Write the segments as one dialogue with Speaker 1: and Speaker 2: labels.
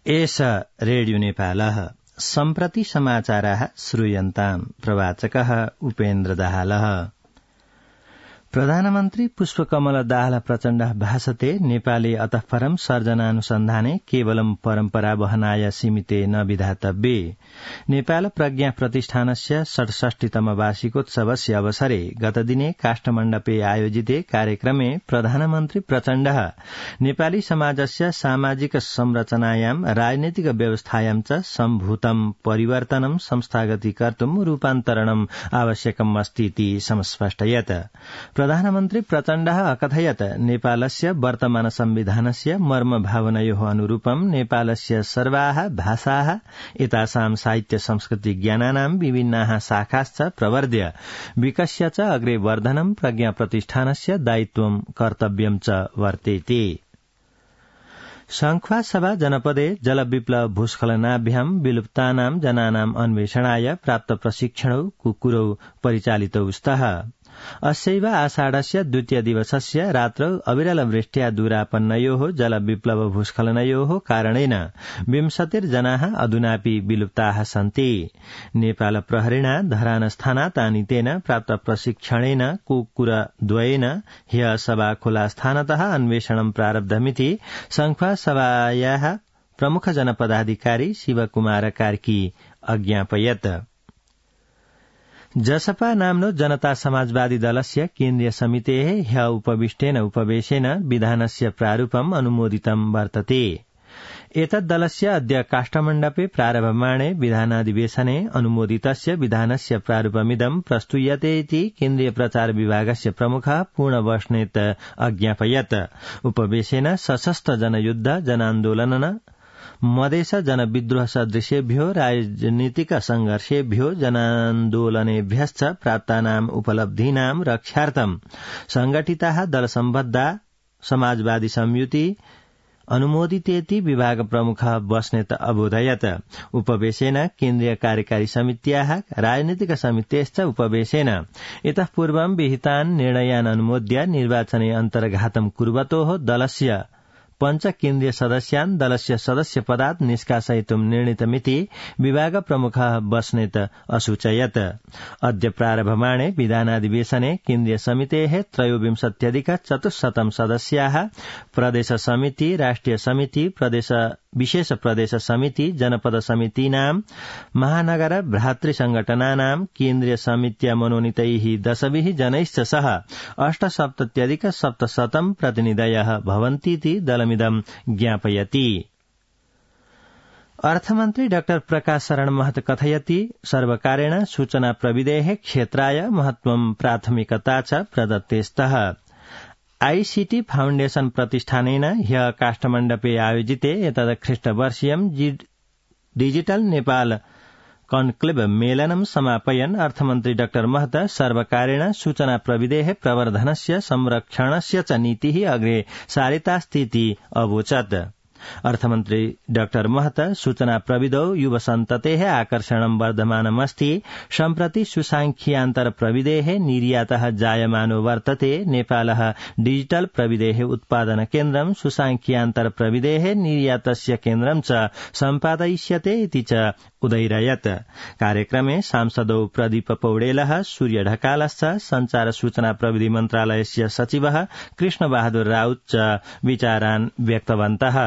Speaker 1: एष रेडियो नेपालः सम्प्रति समाचाराः श्रूयन्ताम् प्रवाचकः उपेन्द्र दाहालः। प्रधानमन्त्री पुष्पकमल दाहाल प्रचण्डः भाषते नेपाले अतः परं सर्जनानुसन्धाने केवलं परम्परा वहनाय सीमिते न विधातव्ये। नेपाल प्रज्ञा प्रतिष्ठानस्य 67तम वार्षिकोत्सवस्य अवसरे गतदिने काष्ठमण्डपे आयोजिते कार्यक्रमे प्रधानमन्त्री प्रचण्डः नेपाली समाजस्य सामाजिक संरचनायां राजनैतिक व्यवस्थायां च सम्भूतं परिवर्तनं संस्थागतीकर्तुं रूपान्तरणम् आवश्यकम् अस्तीति समस्पष्टयत्। प्रधानमन्त्री प्रचण्डः अकथयत् नेपालस्य वर्तमान संविधानस्य मर्म भावनयोः अनुरूपं नेपालस्य सर्वाः भाषाः एतासां साहित्य संस्कृति ज्ञानानां विभिन्नाः शाखाश्च प्रवर्ध्य विकस्य च अग्रे वर्धनं प्रज्ञा प्रतिष्ठानस्य दायित्वं कर्तव्यं च वर्तेते। शङ्ख्वासभा जनपदे जलविप्लव भूस्खलनाभ्यां विलुप्तानां जनानां अन्वेषणाय प्राप्त प्रशिक्षणौ कुकुरौ परिचालितौ स्तः। अस्यैव आषाढस्य द्वितीय दिवसस्य रात्रौ अविरलवृष्ट्या दूरापन्नयोः जलविप्लव भूस्खलनयोः कारणेन 20 जनाः अधुनापि विलुप्ताः सन्ति। नेपाल प्रहरिणा धरानस्थानात् आनीतेन प्राप्त प्रशिक्षणेन कुकुरद्वयेन ह्यः सभाखोलास्थानतः अन्वेषणं प्रारब्धमिति शङ्ख्वासभायाः प्रमुख जनपदाधिकारी शिवकुमार कार्की अज्ञापयत्। जसपा नाम्नो जनता समाजवादी दलस्य केन्द्रीय समितेः ह्यः उपविष्टेन उपवेशेन विधानस्य प्रारूपम् अनुमोदितं वर्तते। एतद्दलस्य अद्य काष्ठमण्डपे प्रारभमाणे विधानाधिवेशने अनुमोदितस्य विधानस्य प्रारूपमिदं प्रस्तूयते इति केन्द्रीय प्रचार विभागस्य प्रमुखः पूर्णबस्नेत अज्ञापयत्। उपवेशेन सशस्त्र जनयुद्ध जनान्दोलन मधेस जनविद्रोह सदृशेभ्यो राजनीतिक संघर्षेभ्यो जनान्दोलनेभ्यश्च प्राप्तानाम् उपलब्धीनां रक्षार्थं संगठिताः दलसम्बद्धा समाजवादी संयुति अनुमोदितेति विभाग प्रमुखः बस्नेत अबोधयत्। उपवेशेन केन्द्रीय कार्यकारी समित्याः राजनीतिक समितेश्च उपवेशेन इतः पूर्वं विहितान् निर्णयान् अनुमोद्य निर्वाचने अन्तर्घातं कुर्वतोः दलस्य 5 केन्द्रीय सदस्यान् दलस्य सदस्यपदात् निष्कासयितुं निर्णीतमिति विभाग प्रमुखः बस्नेत असूचयत्। अद्य प्रारभमाणे विधानाधिवेशने केन्द्रीय समितेः 23,400 सदस्याः प्रदेश समिति, राष्ट्रिय समिति, विशेष प्रदेश समिति, जनपद समितीनां, महानगर भ्रातृ संगठनानां, केन्द्रीय समित्या मनोनीतैः 10 जनैश्च सह 78,700 प्रतिनिधयः भवन्तीति दलमिदं ज्ञापयति। अर्थमन्त्री डाक्टर प्रकाश शरण महत कथयति सर्वकारेण सूचना प्रविधेः क्षेत्राय महत्वं प्राथमिकता च प्रदत्ते स्तः। आईसीटी फाउण्डेशन प्रतिष्ठानेन ह्यः काष्ठमण्डपे आयोजिते एतदख्रिष्टवर्षीयं डिजिटल नेपाल कन्क्लेव मेलनं समापयन् अर्थमन्त्री डाक्टर महत सर्वकारेण सूचना प्रविधेः प्रवर्धनस्य संरक्षणस्य च नीतिः अग्रे सारितास्तीति अवोचत्। अर्थमन्त्री डाक्टर महत सूचना प्रविधौ युव सन्ततेः आकर्षणं वर्धमानमस्ति। सम्प्रति सुसांख्यान्तर प्रविधेः निर्यातः जायमानो वर्तते। नेपालः डिजिटल प्रविधेः उत्पादन केन्द्रं सुसांख्यान्तर प्रविधेः निर्यातस्य केन्द्रं च सम्पादयिष्यते इति च उदैरयत्। कार्यक्रमे सांसदौ प्रदीप पौडेलः, सूर्य ढकालश्च संचार सूचना प्रविधि मन्त्रालयस्य सचिवः कृष्णबहादुर राउत च विचारान् व्यक्तवन्तः।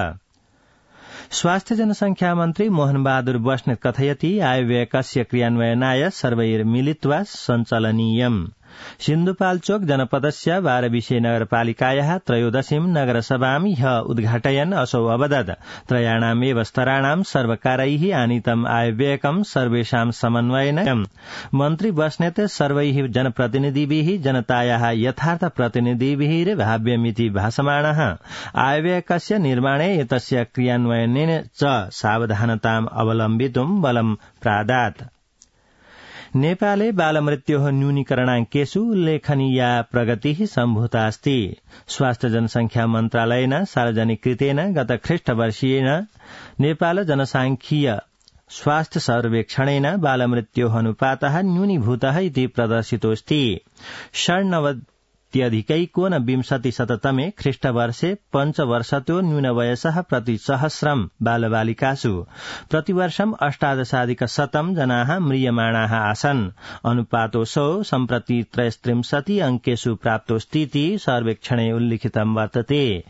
Speaker 1: स्वास्थ्य जनसंख्या मन्त्री मोहन बहादुर बस्नेत कथयति आयव्ययकस्य क्रियान्वयनाय सर्वैर्मिलित्वा सञ्चालनीयम्। सिन्धुपाल्चोक जनपदस्य 12 नगरपालिकायाः 13 नगरसभां ह्यः उद्घाटयन् असौ अवदत् त्रयाणामेव स्तराणां सर्वकारैः आनीतम् आयव्ययकं सर्वेषां समन्वयेन। मन्त्री बस्नेत सर्वैः जनप्रतिनिधिभिः जनतायाः यथार्थ प्रतिनिधिभिर्भाव्यमिति भासमाणः आयव्ययकस्य निर्माणे एतस्य क्रियान्वयनेन च सावधानताम् अवलम्बितुं बलं प्रादात्। नेपाले बालमृत्योः न्यूनीकरणाङ्केषु उल्लेखनीया प्रगतिः सम्भूतास्ति। स्वास्थ्य जनसंख्या मन्त्रालयेन सार्वजनिकृतेन गत ख्रीष्टवर्षीयेन नेपाल जनसांख्यिकीय स्वास्थ्य सर्वेक्षणेन बालमृत्योः अनुपातः न्यूनीभूतः इति प्रदर्शितोऽस्ति। सप्तत्यधिकैकोनविंशतिशततमे ख्रीष्टवर्षे पञ्चवर्षतो न्यूनवयसः प्रतिसहस्रं बालबालिकासु प्रतिवर्षं 18,100 जनाः म्रियमाणाः आसन्। अनुपातोऽसौ सम्प्रति 33 अङ्केषु प्राप्तोऽस्तीति सर्वेक्षणे उल्लिखितं वर्तते।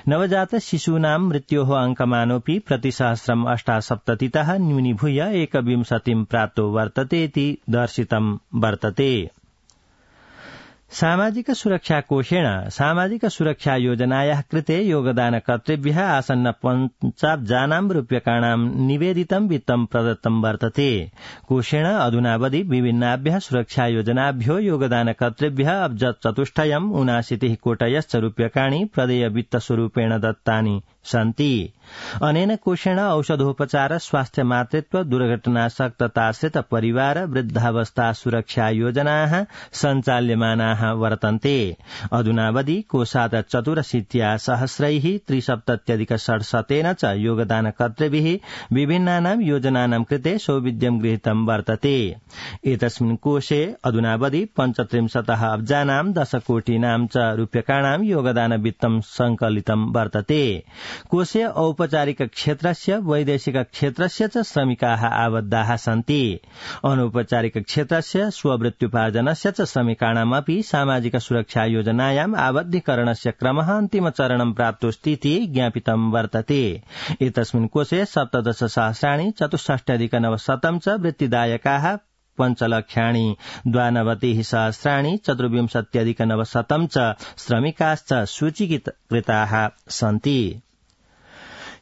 Speaker 1: नवजात शिशूनां मृत्योः अङ्कमानोऽपि प्रतिसहस्रं 78 न्यूनीभूय 21 प्राप्तो वर्ततेति दर्शितं वर्तते। सामाजिक सुरक्षा कोषेण सामाजिक सुरक्षा योजनायाः कृते योगदानकर्तृभ्यः आसन्न 50 रूप्यकाणां निवेदितं वित्तं प्रदत्तं वर्तते। कोषेण अधुनावधि विभिन्नाभ्यः सुरक्षा योजनाभ्यो योगदानकर्तृभ्यः अब्जचतुष्टयं 79 कोटयश्च रूप्यकाणि प्रदेय वित्तस्वरूपेण दत्तानि सन्ति। अनेन कोषेण औषधोपचार स्वास्थ्य मातृत्व दुर्घटनासक्तताश्रित परिवार वृद्धावस्था सुरक्षा योजनाः सञ्चाल्यमानाः वर्तन्ते। अधुनावधि कोषात् 84 सहस्रैः 73,600 च योगदानकर्तृभिः विभिन्नानां योजनानां कृते सौविध्यं गृहीतं वर्तते। एतस्मिन् कोषे अधुनावधि 35 अब्जानां 10 कोटीनां च रूप्यकाणां योगदानवित्तं संकलितं वर्तते। कोषे औपचारिक क्षेत्रस्य वैदेशिक क्षेत्रस्य च श्रमिकाः आबद्धाः सन्ति। अनौपचारिक क्षेत्रस्य स्ववृत्त्युपार्जनस्य च श्रमिकाणामपि सामाजिक सुरक्षा योजनायाम् आबद्धीकरणस्य क्रमः अन्तिमचरणं प्राप्तोऽस्तीति ज्ञापितं वर्तते। एतस्मिन् कोषे 17,64,900 च वृत्तिदायकाः 5,92,000 24,900 च श्रमिकाश्च सूचीकृताः सन्ति।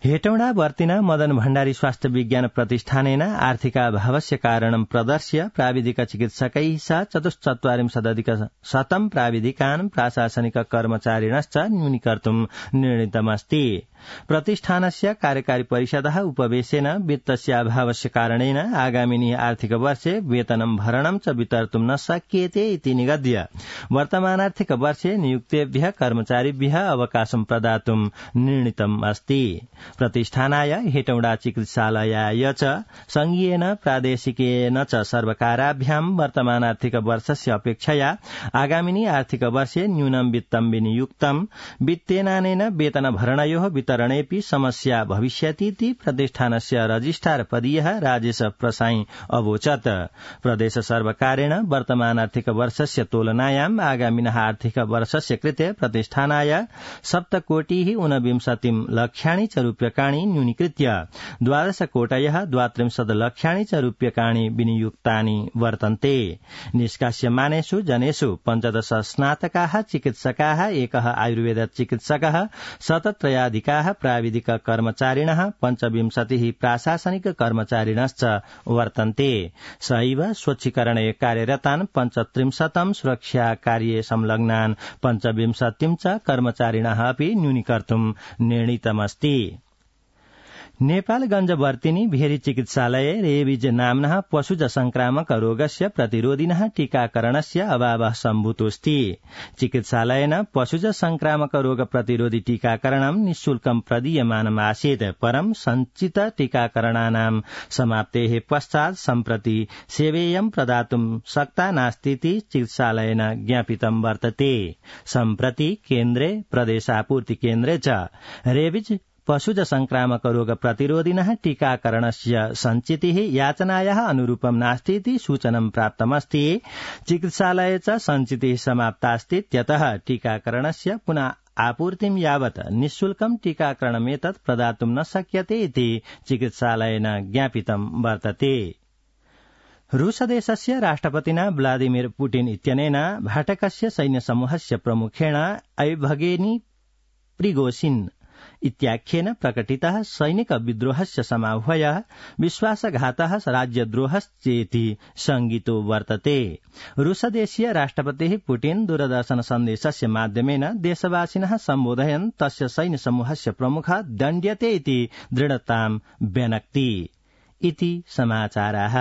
Speaker 1: हेटौडावर्तिना मदन भण्डारी स्वास्थ्य विज्ञान प्रतिष्ठानेन आर्थिकाभावस्य कारणं प्रदर्श्य प्राविधिक चिकित्सकैः सह 44,000 प्राविधिकान् प्राशासनिक कर्मचारिणश्च न्यूनीकर्तुं निर्णीतमस्ति। प्रतिष्ठानस्य कार्यकारी परिषदः उपवेशेन वित्तस्य अभावस्य कारणेन आगामिनि आर्थिक वर्षे वेतनं भरणं च वितर्तुं न शक्येते इति निगद्य वर्तमानार्थिक वर्षे नियुक्तेभ्यः कर्मचारिभ्यः अवकाशं प्रदातुं निर्णीतम् अस्ति। प्रतिष्ठानाय हेटौडा चिकित्सालयाय च संघीयेन प्रादेशिकेन च सर्वकाराभ्यां वर्तमानार्थिक वर्षस्य अपेक्षया आगामिनि आर्थिक वर्षे न्यूनं वित्तं विनियुक्तं। वित्तेनानेन वेतन भरणयोः वितरणेऽपि समस्या भविष्यतीति प्रतिष्ठानस्य रजिस्ट्रार पदीयः राजेश प्रसाई अवोचत्। प्रदेश सर्वकारेण वर्तमानार्थिक वर्षस्य तुलनायाम् आगामिनः आर्थिक वर्षस्य कृते प्रतिष्ठानाय 7,29,00,000 च रूप्यकाणि न्यूनीकृत्य 12 कोटयः 32 लक्षाणि च रूप्यकाणि विनियुक्तानि वर्तन्ते। निष्कास्यमानेषु जनेषु 15 स्नातकाः चिकित्सकाः, 1 आयुर्वेद चिकित्सकः, 103 प्राविधिक कर्मचारिणः, 25 प्राशासनिक कर्मचारिणश्च वर्तन्ते। सहैव स्वच्छीकरणे कार्यरतान् 35 सुरक्षा कार्ये संलग्नान् 25 च कर्मचारिणः अपि न्यूनीकर्तुं निर्णीतमस्ति। नेपालगञ्जवर्तिनी भेरी चिकित्सालये रेबीज नाम्नः पशुज संक्रामक रोगस्य प्रतिरोधिनः टीकाकरणस्य अभावः सम्भूतोऽस्ति। चिकित्सालयेन पशुज संक्रामक रोग प्रतिरोधि टीकाकरणं निःशुल्कं प्रदीयमानम् आसीत्। परं सञ्चित टीकाकरणानां समाप्तेः पश्चात् सम्प्रति सेवेयं प्रदातुं शक्ता नास्तीति चिकित्सालयेन ज्ञापितं वर्तते। सम्प्रति केन्द्रे प्रदेशापूर्ति केन्द्रे च रेबीज पशुज संक्रामक रोग प्रतिरोधिनः टीकाकरणस्य सञ्चितिः याचनायाः अनुरूपं नास्तीति सूचनं प्राप्तमस्ति। चिकित्सालये च सञ्चितिः समाप्तास्तीत्यतः टीकाकरणस्य पुनः आपूर्तिं यावत् निःशुल्कं टीकाकरणमेतत् प्रदातुं न शक्यते इति चिकित्सालयेन ज्ञापितं वर्तते। रूसदेशस्य राष्ट्रपतिना व्लादिमिर पुटिन इत्यनेन भाटकस्य सैन्यसमूहस्य प्रमुखेण ऐभगेनी प्रिगोसिन इत्याख्येन प्रकटितः सैनिक विद्रोहस्य समाह्वयः विश्वासघातः राज्यद्रोहश्चेति संगितो वर्तते। रूसदेशीय राष्ट्रपतिः पुटिन दूरदर्शन सन्देशस्य माध्यमेन देशवासिनः सम्बोधयन् तस्य सैन्यसमूहस्य प्रमुखः दण्ड्यते इति दृढतां व्यनक्ति इति समाचाराः।